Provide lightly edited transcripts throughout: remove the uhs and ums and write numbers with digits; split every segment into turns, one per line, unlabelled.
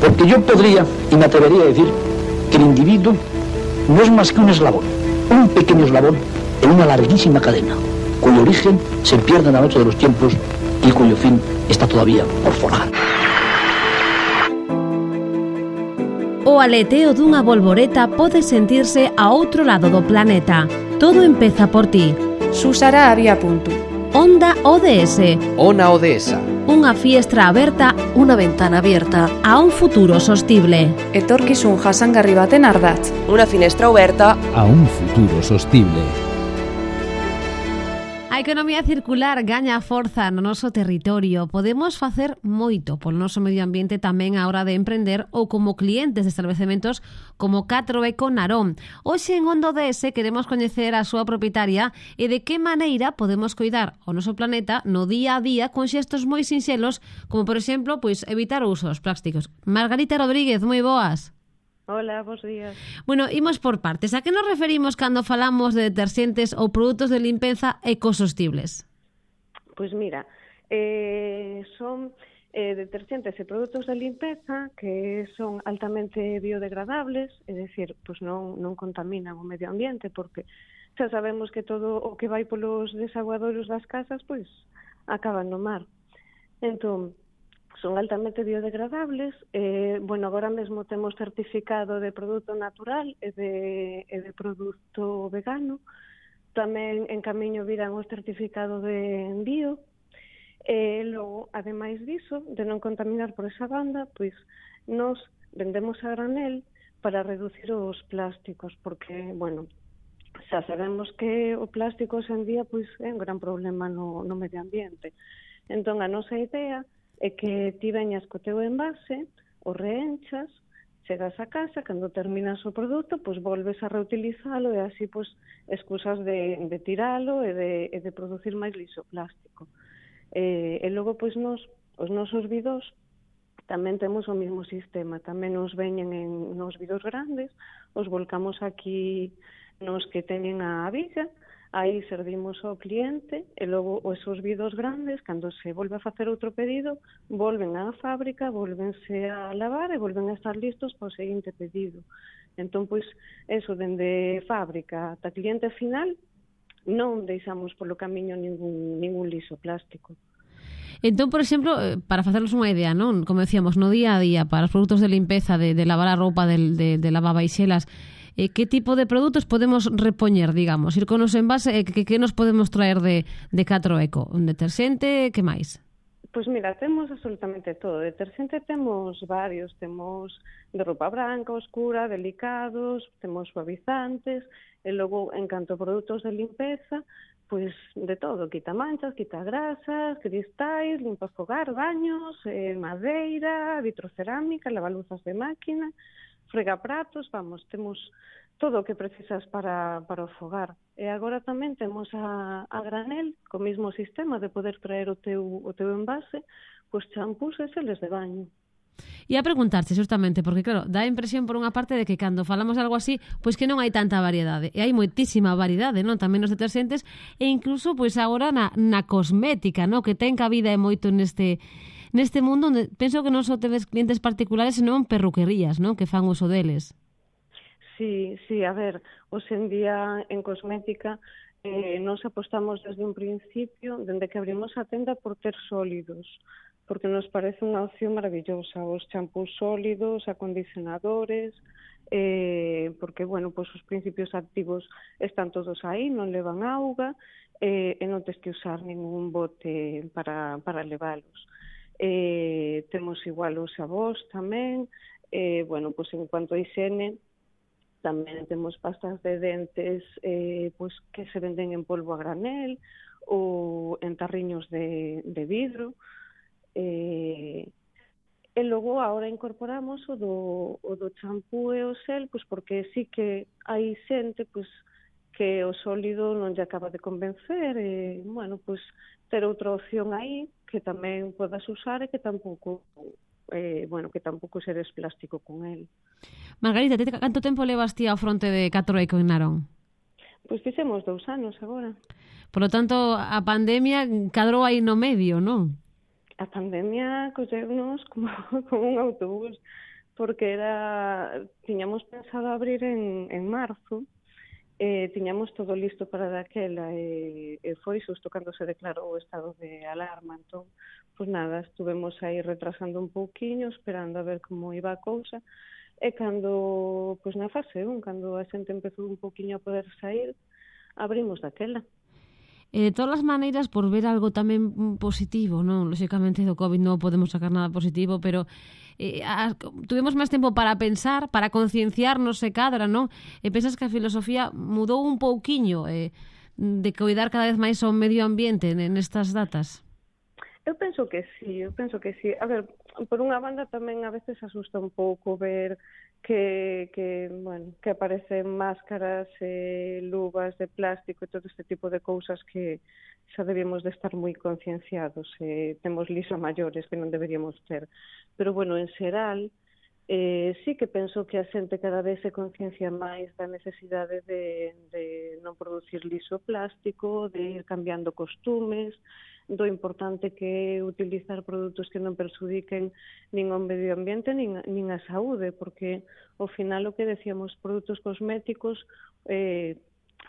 Porque yo podría, y me atrevería a decir, que el individuo no es más que un eslabón, un pequeño eslabón en una larguísima cadena, cuyo origen se pierde en la noche de los tiempos y cuyo fin está todavía por forjar.
O aleteo dunha bolboreta pode sentirse a outro lado do planeta. Todo empeza por ti.
Susara había punto.
Onda ODS.
Ona Odesa.
Unha fiestra aberta,
unha ventana abierta
a un futuro sostible.
Etorkizun jasangarri baten ardatz.
Unha finestra aberta
a un futuro sostible.
A economía circular gaña forza no noso territorio. Podemos facer moito polo noso medio ambiente tamén a hora de emprender ou como clientes de establecementos como 4Eco Narón. Hoxe en Onda ODS queremos coñecer a súa propietaria e de que maneira podemos coidar o noso planeta no día a día con xestos moi sinxelos, como por exemplo, evitar o uso dos plásticos. Margarita Rodríguez, moi boas.
Hola, bons días.
Bueno, imos por partes. A que nos referimos cando falamos de deterxentes ou produtos de limpeza ecosostibles?
Pois mira, son deterxentes e produtos de limpeza que son altamente biodegradables, é dicir, pois non contaminan o medio ambiente, porque xa sabemos que todo o que vai polos desaguadoiros das casas, pois acaban no mar. Entón, son altamente biodegradables. Agora mesmo temos certificado de produto natural e de produto vegano. Tamén en camiño virán o certificado de bio. Logo, ademais diso, de non contaminar por esa banda, pois nos vendemos a granel para reducir os plásticos, porque, xa sabemos que o plástico hoxe en día pois é un gran problema no medio ambiente. Entón, a nosa idea é que ti veñas co teu envase, o reenchas, chegas a casa, cando terminas o produto, pois volves a reutilizalo e así pois excusas de tiralo e de producir máis lixo plástico. E logo pois os nosos bidós tamén temos o mesmo sistema, tamén nos veñen nos bidós grandes, os volcamos aquí nos que teñen a billa. Aí servimos ao cliente e logo esos bidós grandes, cando se volve a facer outro pedido, volven á fábrica, volvense a lavar e volven a estar listos para o seguinte pedido. Entón, pois, eso, dende fábrica ata cliente final, non deixamos polo camiño ningún lixo plástico.
Entón, por exemplo, para facernos unha idea, non? Como decíamos, no día a día, para os produtos de limpeza, de lavar a roupa, de lavavaixelas, que tipo de produtos podemos repoñer, digamos? Ir con os envase, que nos podemos traer de 4Eco? Un deterxente, que máis?
Pois mira, temos absolutamente todo. Deterxente temos varios. Temos de roupa branca, oscura, delicados, temos suavizantes, e logo, en canto a produtos de limpeza, pois de todo. Quita manchas, quita grasas, cristais, limpa fogar, baños, madeira, vitrocerámica, lavaluzas de máquina, fregapratos, temos todo o que precisas para o fogar. E agora tamén temos a granel, co mesmo sistema de poder traer o teu envase, pois champús e xeles de baño.
E a preguntarche justamente, porque claro, dá a impresión por unha parte de que cando falamos algo así, pois que non hai tanta variedade. E hai moitísima variedade, non? Tamén nos deterxentes e incluso pois agora na cosmética, non? Que ten cabida e moito neste mundo onde penso que non só tedes clientes particulares, senón perruquerías, non? Que fan uso deles.
Sí, a ver, hoxe en día en cosmética nos apostamos desde un principio, dende que abrimos a tenda, por ter sólidos, porque nos parece unha opción maravillosa, os champús sólidos, acondicionadores, porque, pois os principios activos están todos aí, non levan auga, e non tes que usar ningún bote para levalos. Temos igual os xabós tamén, pois en cuanto a higiene, tamén temos pastas de dentes que se venden en polvo a granel ou en tarriños de vidro. E logo agora incorporamos o do champú e o xel, pois porque sí que hai xente pois que o sólido non lle acaba de convencer e, pois ter outra opción aí que tamén podas usar e que tampouco seres plástico con el.
Margarita, canto tempo levas ti ao fronte de 4Eco en Narón?
Pois fixemos 2 anos agora.
Por lo tanto, a pandemia cadrou aí no medio, non?
A pandemia colleunos como un autobús, porque tiñamos pensado abrir en marzo, tiñamos todo listo para daquela e foi xusto cando se declarou o estado de alarma. Entón, pois nada, estuvemos aí retrasando un pouquiño, esperando a ver como iba a cousa, e cando, pois na fase 1, cando a xente empezou un pouquiño a poder sair, abrimos daquela.
De todas as maneiras, por ver algo tamén positivo, non? Lóxicamente do COVID non podemos sacar nada positivo, pero tuvemos máis tempo para pensar, para concienciarnos se cadra, non? E pensas que a filosofía mudou un pouquiño de cuidar cada vez máis o medio ambiente nestas datas?
Eu penso que sí. A ver, por unha banda tamén a veces asusta un pouco ver que aparecen máscaras, luvas de plástico e todo este tipo de cousas que xa debíamos de estar moi concienciados. Temos liso maiores que non deberíamos ter. Pero, en xeral, sí que penso que a xente cada vez se conciencia máis da necesidade de non producir liso plástico, de ir cambiando costumes, do importante que é utilizar produtos que non perxudiquen nin ao medio ambiente nin a saúde, porque ao final o que decíamos, produtos cosméticos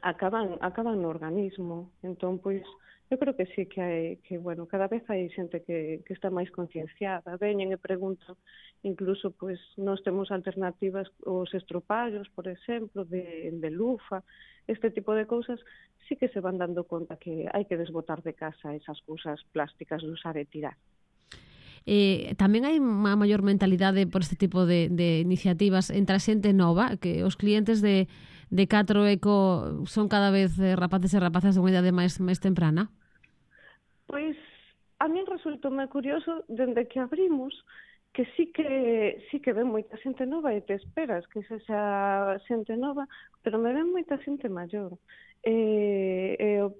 acaban no organismo. Entón, pois, eu creo que sí que cada vez hai xente que está máis concienciada, veñen e preguntan, incluso, pois, nós temos alternativas, os estropallos, por exemplo, de lufa, este tipo de cousas, sí que se van dando conta que hai que desbotar de casa esas cousas plásticas de usar e tirar.
Tamén hai unha maior mentalidade por este tipo de iniciativas entre a xente nova, que os clientes de Catro Eco son cada vez rapaces e rapazas de unha idade máis temprana?
Pois, a min resultoume curioso, dende que abrimos, que sí que ven moita xente nova e te esperas que sexa xente nova, pero me ven moita xente maior. Eu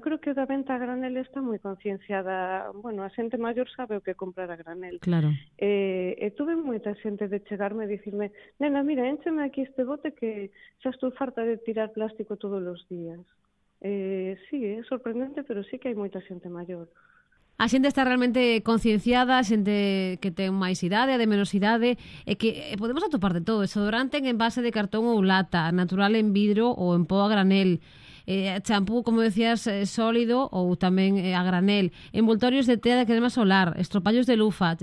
creo que o da venta a granel está moi concienciada. A xente maior sabe o que comprar a granel.
Claro.
Tuve moita xente de chegarme e dicirme, nena, mira, éncheme aquí este bote que xa estou farta de tirar plástico todos os días. Sí, é sorprendente, pero sí que hai moita xente maior.
A xente está realmente concienciada, a xente que ten máis idade, a de menos idade, e que podemos atopar de todo. Desodorante en envase de cartón ou lata, natural en vidro ou en pó a granel, champú, como decías, sólido ou tamén a granel, envoltorios de tea de crema solar, estropallos de lufa,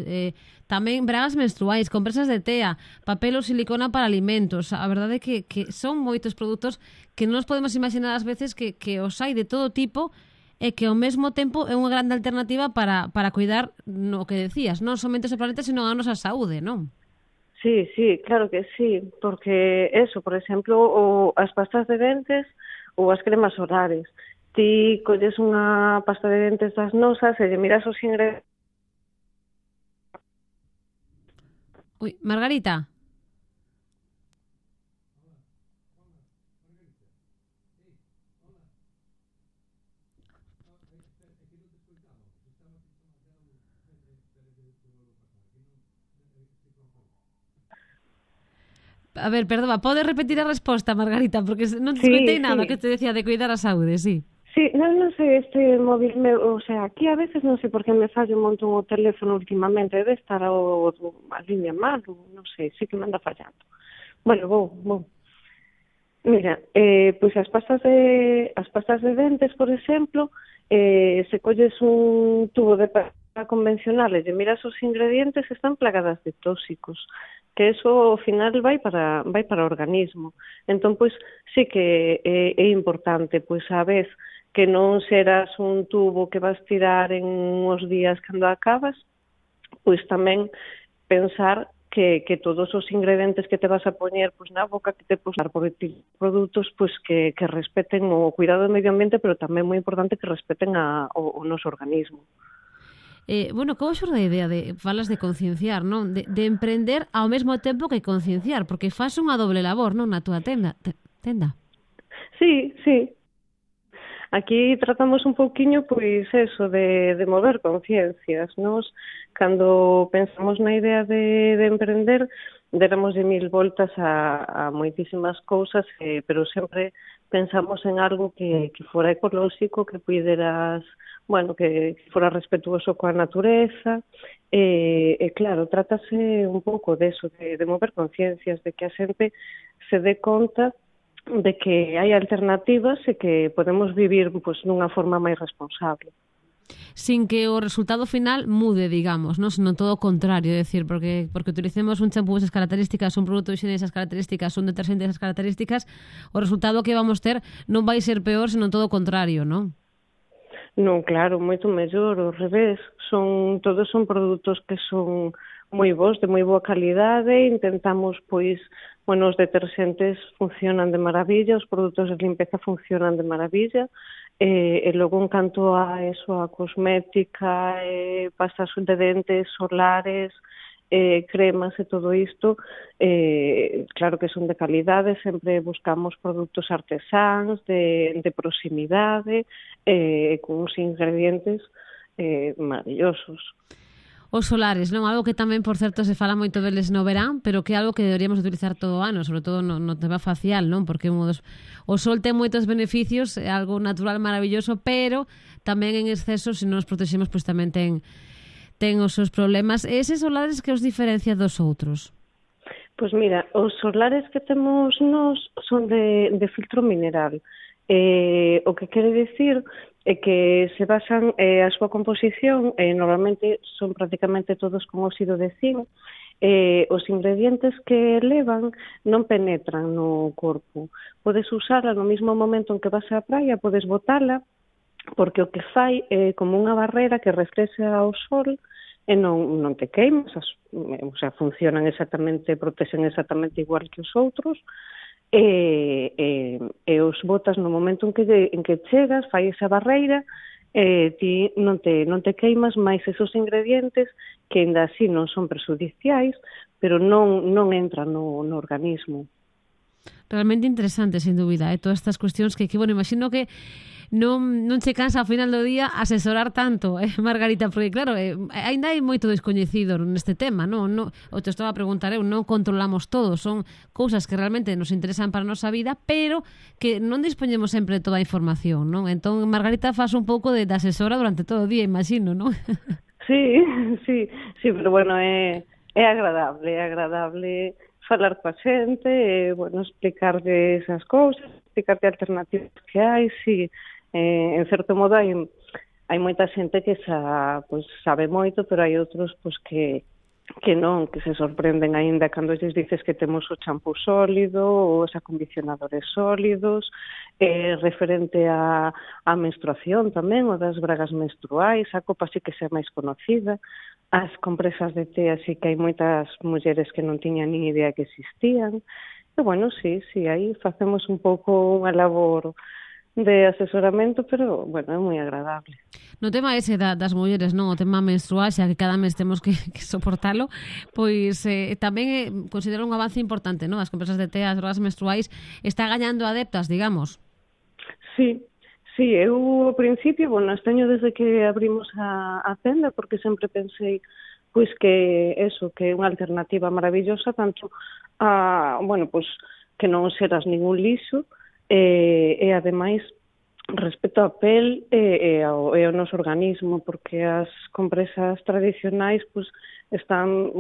tamén bragas menstruais, compresas de tea, papel ou silicona para alimentos. A verdade é que son moitos produtos que non nos podemos imaginar ás veces que os hai de todo tipo e que ao mesmo tempo é unha grande alternativa para cuidar no que decías, non somente o planeta, sino a nosa saúde, non?
Sí, claro que sí, porque eso, por exemplo, as pastas de dentes ou as cremas solares. Ti colles unha pasta de dentes das nosas e lle miras os ingredientes.
Ui, Margarita. A ver, perdón, pode repetir a resposta, Margarita, porque non te escoitei nada que te decía de cuidar a saúde, sí.
Sí, non sei, este móvil meu, aquí a veces non sei por que me fallo un montón o teléfono últimamente, debe estar a línea mal, non sei, sí que me anda fallando. Vou. Mira, pois as pastas de dentes, por exemplo, se colles un tubo de pasta convencional e miras os ingredientes, están plagadas de tóxicos, que eso ao final vai para o organismo. Entón, pois, sí que é importante, pois, a vez que non serás un tubo que vas tirar en uns días cando acabas, pois tamén pensar que todos os ingredientes que te vas a poñer pois na boca, que te posar por produtos pois que respeten o cuidado do medio ambiente, pero tamén moi importante que respeten o noso organismo.
Como xorde a idea falas de concienciar, non? De emprender ao mesmo tempo que concienciar, porque faz unha doble labor, non, na túa tenda?
Sí. Aquí tratamos un pouquiño, pois, eso, de mover conciencias. Nos, cando pensamos na idea de emprender, déramos de 1000 voltas a moitísimas cousas, pero sempre pensamos en algo que fora ecolóxico, que puideras, que fora respetuoso coa natureza, claro, trátase un pouco deso, de mover conciencias, de que a xente se dé conta de que hai alternativas e que podemos vivir dunha forma máis responsable.
Sin que o resultado final mude, digamos, non? Senón todo o contrario, é dicir, porque utilicemos un champú esas características, un produto de higiene esas características, un detergente esas características, o resultado que vamos ter non vai ser peor, senón todo o contrario, non?
Non, claro, moito mellor, ao revés. Todos son produtos que son moi bons, de moi boa calidade. Intentamos, os detergentes funcionan de maravilla, os produtos de limpeza funcionan de maravilla. E logo, en canto a eso, a cosmética, pastas de dentes, solares, cremas e todo isto, claro que son de calidade, sempre buscamos produtos artesáns, de proximidade, con uns ingredientes maravillosos.
Os solares, non? Algo que tamén, por certo, se fala moito deles no verán, pero que é algo que deberíamos utilizar todo o ano, sobre todo no tema facial, non? Porque o sol ten moitos beneficios, é algo natural maravilloso, pero tamén en exceso, se non nos protexemos, pois tamén ten os seus problemas. E eses solares que os diferencia dos outros?
Pois mira, os solares que temos nós son de filtro mineral. O que quere dicir é que se basan a súa composición, normalmente son prácticamente todos con óxido de zinc, os ingredientes que levan non penetran no corpo. Podes usarla no mesmo momento en que vas á praia, podes botala, porque o que fai é como unha barrera que reflexa ao sol e non te queimas, funcionan exactamente, protexen exactamente igual que os outros, e os botas no momento en que chegas, fai esa barreira, ti non te queimas, máis esos ingredientes que ainda así non son prexudiciais, pero non entran no organismo.
Realmente interesante, sin dúbida, todas estas cuestións que imagino que non che cansa ao final do día asesorar tanto, Margarita, porque claro, ainda hai moito descoñecido neste tema, non? O te estaba a preguntar non controlamos todo, son cousas que realmente nos interesan para a nosa vida, pero que non dispoñemos sempre de toda a información, non? Entón, Margarita faz un pouco de asesora durante todo o día, imagino, non?
Sí, pero é agradable falar coa xente, explicarle esas cousas, explicarte alternativas que hai, sí. En certo modo hai moita xente que sabe moito, pero hai outros que non, que se sorprenden aínda cando lles dices que temos o champú sólido ou os acondicionadores sólidos, referente á menstruación tamén, o das bragas menstruais, a copa sí que xa máis conocida, as compresas de té, así que hai moitas mulleres que non tiñan nin idea que existían, e sí, aí facemos un pouco unha labor de asesoramento, pero, é moi agradable.
No tema ese das mulleres, non? O tema menstrual, xa que cada mes temos que soportalo, pois tamén considero un avance importante, non? As compresas de té, as drogas menstruais, está gañando adeptas, digamos.
Sí, eu ao principio, esteño desde que abrimos a tenda, porque sempre pensei que é unha alternativa maravillosa, tanto que non serás ningún lixo, e ademais respecto á pel e ao noso organismo, porque as compresas tradicionais están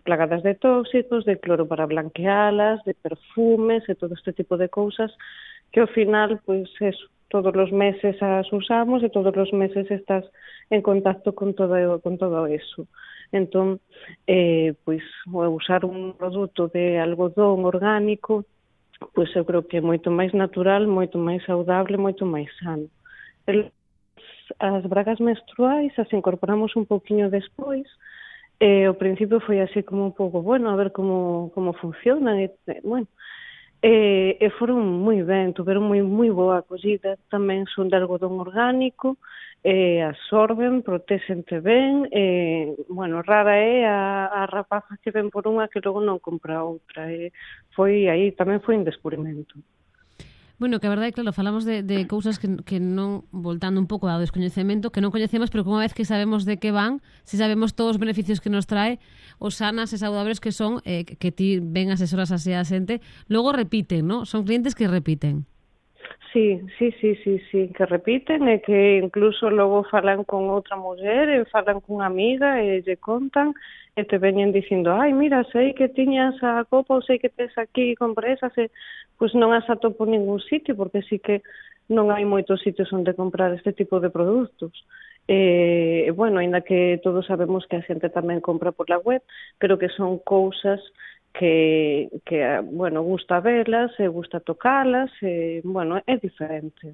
plagadas de tóxicos, de cloro para blanquealas, de perfumes e todo este tipo de cousas que ao final todos os meses as usamos e todos os meses estás en contacto con todo eso. Entón, usar un produto de algodón orgánico, eu creo que é moito máis natural, moito máis saudable, moito máis sano. As bragas menstruais as incorporamos un pouquiño despois, ao principio foi así como un pouco, a ver como funcionan, e foron moi ben, tuveron moi boa acollida, tamén son de algodón orgánico, absorben, protéxente ben, rara é a rapaza que ven por unha que logo non compra outra, tamén foi un descubrimento.
Bueno, que a verdade, claro, falamos de cousas que non, voltando un pouco ao descoñecemento, que non coñecemos, pero que unha vez que sabemos de que van, se sabemos todos os beneficios que nos trae, os sanas e saudables que son, que ti ven asesoras así a xente, logo repiten, non? Son clientes que repiten.
Sí, que repiten e que incluso logo falan con outra muller e falan cunha amiga e lle contan e te veñen dicindo, ai, mira, sei que tiñas a copa ou sei que tes aquí compresas e pois non as atopo en ningún sitio porque sí que non hai moitos sitios onde comprar este tipo de produtos. Bueno, ainda que todos sabemos que a xente tamén compra por la web, pero que son cousas que bueno, gusta velas, gusta tocalas, bueno, é diferente.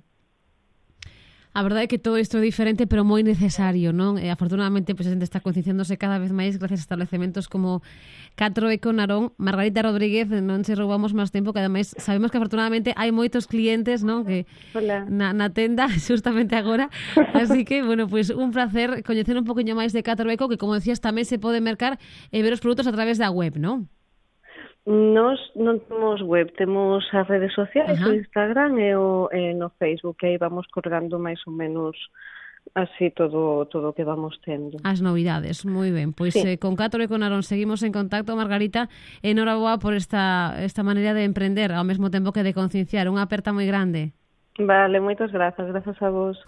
A verdade é que todo isto é diferente, pero moi necesario, non? Afortunadamente, pues, a xente está concienciándose cada vez máis gracias a establecementos como Catro Eco Narón. Margarita Rodríguez, non se roubamos máis tempo, que ademais sabemos que afortunadamente hai moitos clientes, non? Que na tenda, justamente agora. Así que, bueno, pues un placer coñecer un poquinho máis de Catro Eco, que como decías, tamén se pode mercar e ver os produtos a través da web, non?
Nos non temos web, temos as redes sociais, o Instagram e no Facebook, que aí vamos colgando máis ou menos así todo o que vamos tendo.
As novidades, moi ben. Pois sí. Con Catro Eco Narón seguimos en contacto, Margarita. Enhoraboa por esta maneira de emprender, ao mesmo tempo que de concienciar. Unha aperta moi grande.
Vale, moitas grazas a vos.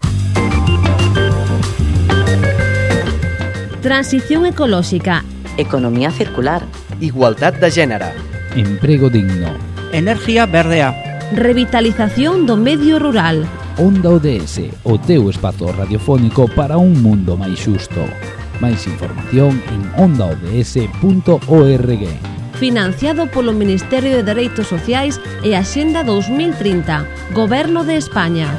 Transición ecolóxica.
Economía circular.
Igualdad de género.
Emprego digno.
Enerxía verdea.
Revitalización do medio rural.
Onda ODS, o teu espazo radiofónico para un mundo máis xusto. Máis información en ondaods.org.
Financiado polo Ministerio de Dereitos Sociais e Axenda 2030, Goberno de España.